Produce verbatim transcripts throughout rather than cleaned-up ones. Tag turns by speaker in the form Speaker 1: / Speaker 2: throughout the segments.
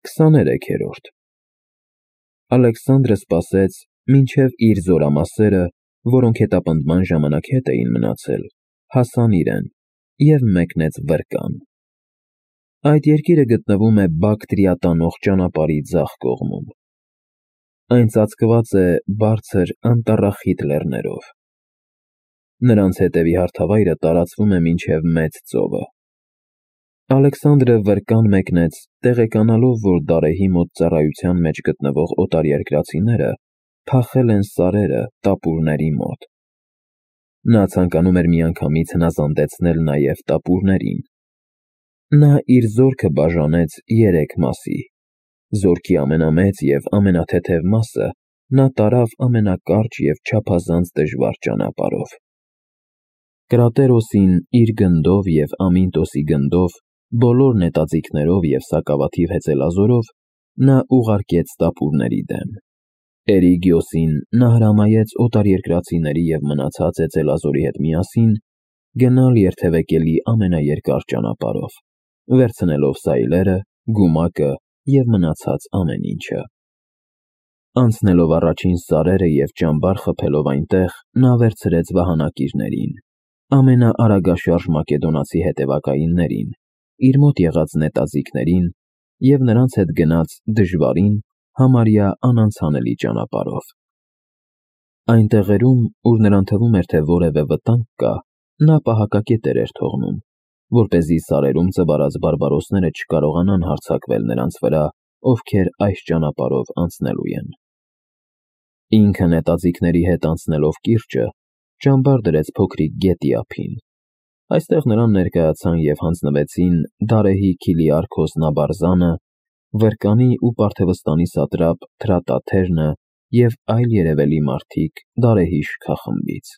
Speaker 1: Քսաներեքերորդ Ալեքսանդրը սպասեց, մինչև իր զորամասերը, որոնք հետապնդման ժամանակ հետ էին մնացել, հասան իրեն և մեկնեց Վրկան։ Այդ երկիրը գտնվում է Բակտրիա տանող ճանապարհի ձախ կողմում։ Այն ծածկված է բարձր անտառախիտ լեռներով։ Նրանց հետևի հարթավայրը տարածվում է մինչև Մեծ ծովը։ Ալեքսանդրը Վրկան մեկնեց, տեղեկանալով, որ Դարեհի մոտ ծառայության մեջ գտնվող օտարերկրացիները փախել են սարերը տապուրների մոտ։ Նա ցանկանում էր միանգամից հնազանդեցնել նաև տապուրներին։ Նա իր զորքը բաժանեց երեք մասի։ Զորքի ամենամեծ և ամենաթեթև մասը նա տարավ ամենակարճ և չափազանց դժվար ճանապարհով։ Կրատերոսին իր գնդով և Ամինտոսի գնդով, բոլոր նետաձիգներով և սակավաթիվ հեծելազորով նա ուղարկեց տապուրների դեմ։ Էրիգիոսին նա հրամայեց օտարերկրացիների և մնացած հեծելազորի հետ միասին գնալ երթևեկելի ամենաերկար ճանապարհով, վերցնելով սայլերը, գումակը և մնացած ամեն ինչը։ Անցնելով առաջին սարերը և ճամբար խփելով այնտեղ, նա վերցրեց վահանակիրներին, ամենաարագաշարժ մակեդոնացի հետևակայիններին, իր մոտ եղած նետաձիգներին և նրանց հետ գնաց դժվարին, համարյա անանցանելի ճանապարհով։ Այն տեղերում, ուր նրան թվում էր, թե որևէ վտանգ կա, նա պահակակետեր էր թողնում, որպեսզի սարերում ծվարած բարբարոսները չկարողանան հարձակվել նրանց վրա, ովքեր այս ճանապարհով անցնելու են։ Ինքը նետաձիգների հետ անցնելով կիրճը, ճամբար դրեց փոքրիկ գետի ափին։ Այստեղ նրան ներկայացան և հանձնվեցին Դարեհի Քիլիարքոս Նաբարզանը, Վրկանի ու Պարթևստանի սատրապ Թրատաթերնը և այլ երևելի մարդիկ Դարեհի շքախմբից։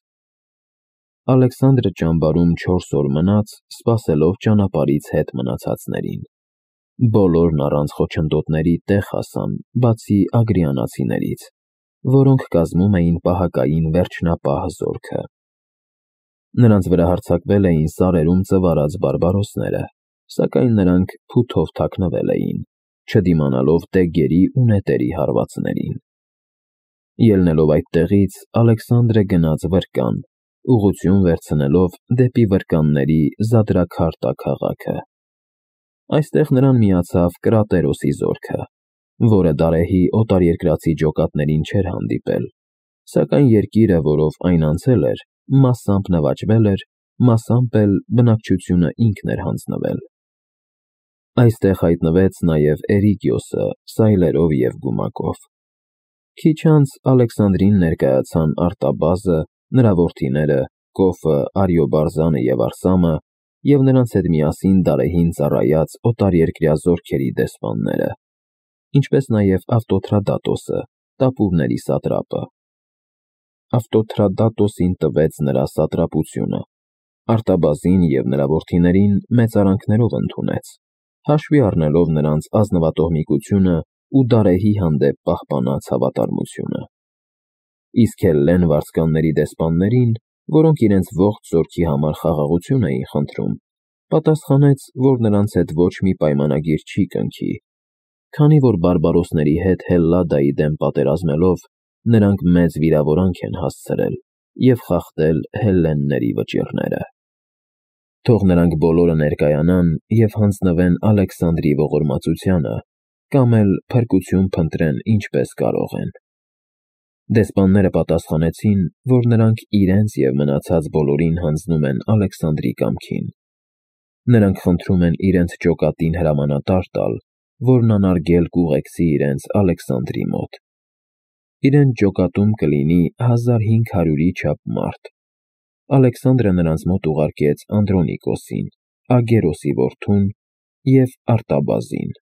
Speaker 1: Ալեքսանդրը ճամբարում չորս օր մնաց, սպասելով ճանապարհից հետ մնացածներին։ Բոլորն առանց խոչընդոտների տեղ հասան, բացի ագրիանացիներից, որոնք կազմում էին պահակային վերջնապահ զորքը։ Նրանց վրա հարձակվել էին սարերում ծվարած բարբարոսները, սակայն նրանք փութով թաքնվել էին, չդիմանալով տեգերի ու նետերի հարվածներին։ Ելնելով այդտեղից, Ալեքսանդրը գնաց Վրկան, ուղղություն վերցնելով դեպի վրկանների Զադրաքարտա քաղաքը։ Այստեղ նրան միացավ Կրատերոսի զորքը, որը Դարեհի օտարերկրացի ջոկատներին չէր հանդիպել, սակայն երկիրը, որով այն անցել էր, մասամբ նվաճվել էր, մասամբ էլ բնակչությունը ինքն էր հանձնվել։ Այստեղ հայտնվեց նաև Էրիգիոսը սայլերով և գումակով։ Քիչ անց Ալեքսանդրին ներկայացան Արտաբազը, նրա որդիները, Կոֆը, Արիոբարզանը և Արսամը և նրանց հետ միասին Դարեհին ծառայած օտարերկրյա զորքերի դեսպանները, ինչպես նաև Ավտոթրադատոսը, տապուրների սատրապը։ Ավտոթրադատոսին տվեց նրա սատրապությունը, Արտաբազին և նրա որդիներին մեծարանքներով ընդունեց, հաշվի առնելով նրանց ազնվատոհմիկությունը ու Դարեհի հանդեպ պահպանած հավատարմությունը։ Իսկ Հելլեն վարձկանների դեսպաններին, որոնք իրենց ողջ զորքի համար խաղաղություն էին խնդրում, պատասխանեց, որ նրանց հետ ոչ մի պայմանագիր չի կնքի, քանի որ բարբարոսների հետ Հելլադայի դեմ պատերազմելով նրանք մեծ վիրավորանք են հասցրել և խախտել հելլենների վճիռները։ Թող նրանք բոլորը ներկայանան և հանձնվեն Ալեքսանդրի ողորմածությանը, կամ էլ փրկություն փնտրեն ինչպես կարող են։ Դեսպանները պատասխանեցին, որ նրանք իրենց և մնացած բոլորին հանձնում են Ալեքսանդրի կամքին։ Նրանք խնդրում են իրենց ջոկատին հրամանատար տալ, որն անարգել կուղեկցի իրենց Ալեքսանդրի մոտ։ Իրենց ջոկատում կլինի հազար հինգ հարյուրի չափ մարդ։ Ալեքսանդրը նրանց մոտ ուղարկեց Անդրոնիկոսին, Ագերոսի որդուն և Արտաբազին։